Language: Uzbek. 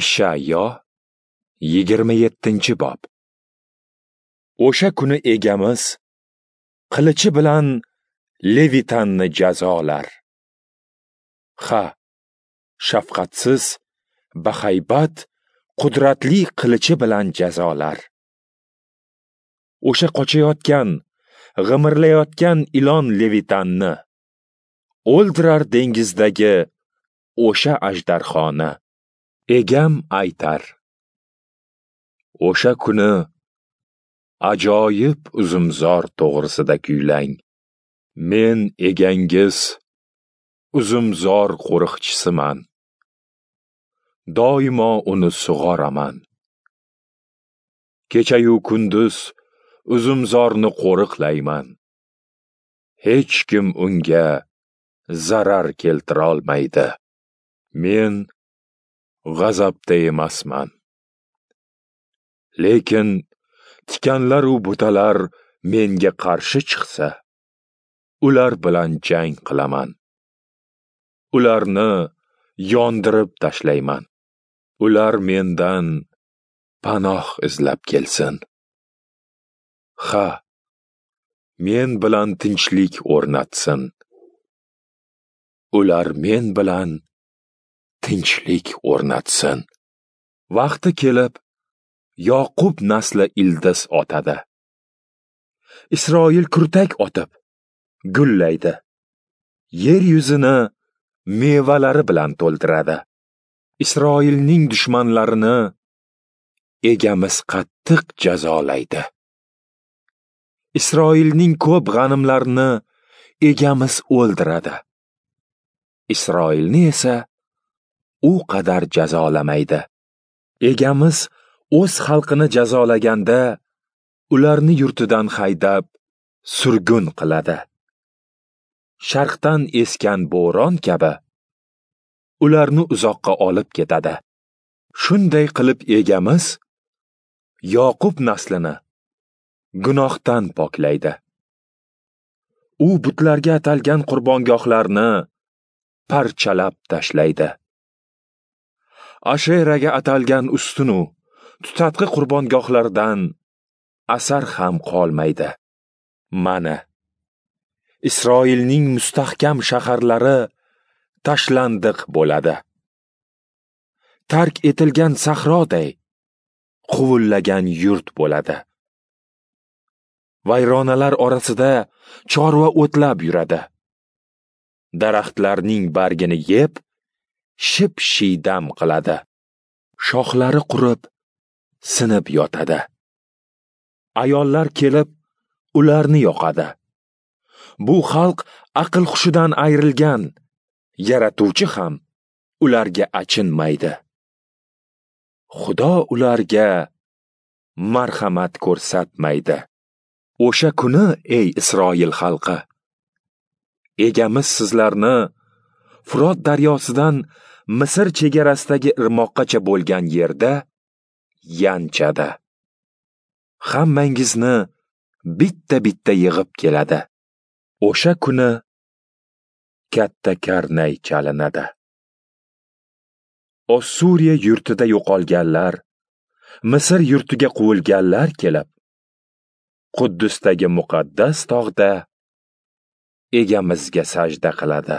Ishayyo 27-bob. O'sha kuni egamiz qilichi bilan Levitanni jazolar. Ha, shafqatsiz, bahaybat, qudratli qilichi bilan jazolar. O'sha qochayotgan, g'imirlayotgan ilon Levitanni o'ldirar dengizdagi o'sha ajdarxoni. Egam aytar: o'sha kuni ajoyib uzumzor to'g'risida kuylang. Men egangiz uzumzor qo'riqchisiman. Doimo uni sug'oraman. Kecha-yu kunduz uzumzorni qo'riqlayman. Hech kim unga zarar keltira olmaydi. Men g'azabda emasman. Lekin tikanlar u butalar menga qarshi chiqsa, ular bilan jang qilaman. Ularni yondirib tashlayman. Ular mendan panoh izlab kelsin. Ha, men bilan tinchlik o'rnatsin. Ular men bilan tinchlik o'rnatsin. Vaqti kelib, Yoqub nasli ildiz otadi. Isroil kurtak otib, gullaydi. Yer yuzini mevalari bilan to'ldiradi. Isroilning dushmanlarini egamiz qattiq jazolaydi. Isroilning ko'p g'animlarini egamiz o'ldiradi. Isroilni esa u qadar jazolamaydi. Egamiz o'z xalqini jazolaganda ularni yurtidan haydab surgun qiladi. Sharqdan esgan bo'ron kabi ularni uzoqqa olib ketadi. Shunday qilib egamiz Yoqub naslini gunohdan poklaydi. U butlarga atalgan qurbongohlarni parchalab tashlaydi. Asheraga atalgan ustunu tutatqi qurbongohlardan asar ham qolmaydi. Mana Isroilning mustahkam shaharlari tashlandiq bo'ladi. Tark etilgan sahroday quvullagan yurt bo'ladi. Vayronalar orasida chorva o'tlab yuradi. Daraxtlarning bargini yeb, ship-shiydam qiladi. Shoxlari qurib, sinib yotadi. Ayollar kelib, ularni yoqadi. Bu xalq aql hushidan ayrilgan, yaratuvchi ham ularga achinmaydi. Xudo ularga marhamat ko'rsatmaydi. O'sha kuni, ey Isroil xalqi, egamiz sizlarni Frot daryosidan Misr chegarasidagi irmoqqacha bo'lgan yerda yanchadi. Hammangizni bitta-bitta yig'ib keladi. O'sha kuni katta karnay chalinadi. Ossuriya yurtida yo'qolganlar, Misr yurtiga quvilganlar kelib, Quddusdagi muqaddas tog'da egamizga sajda qiladi.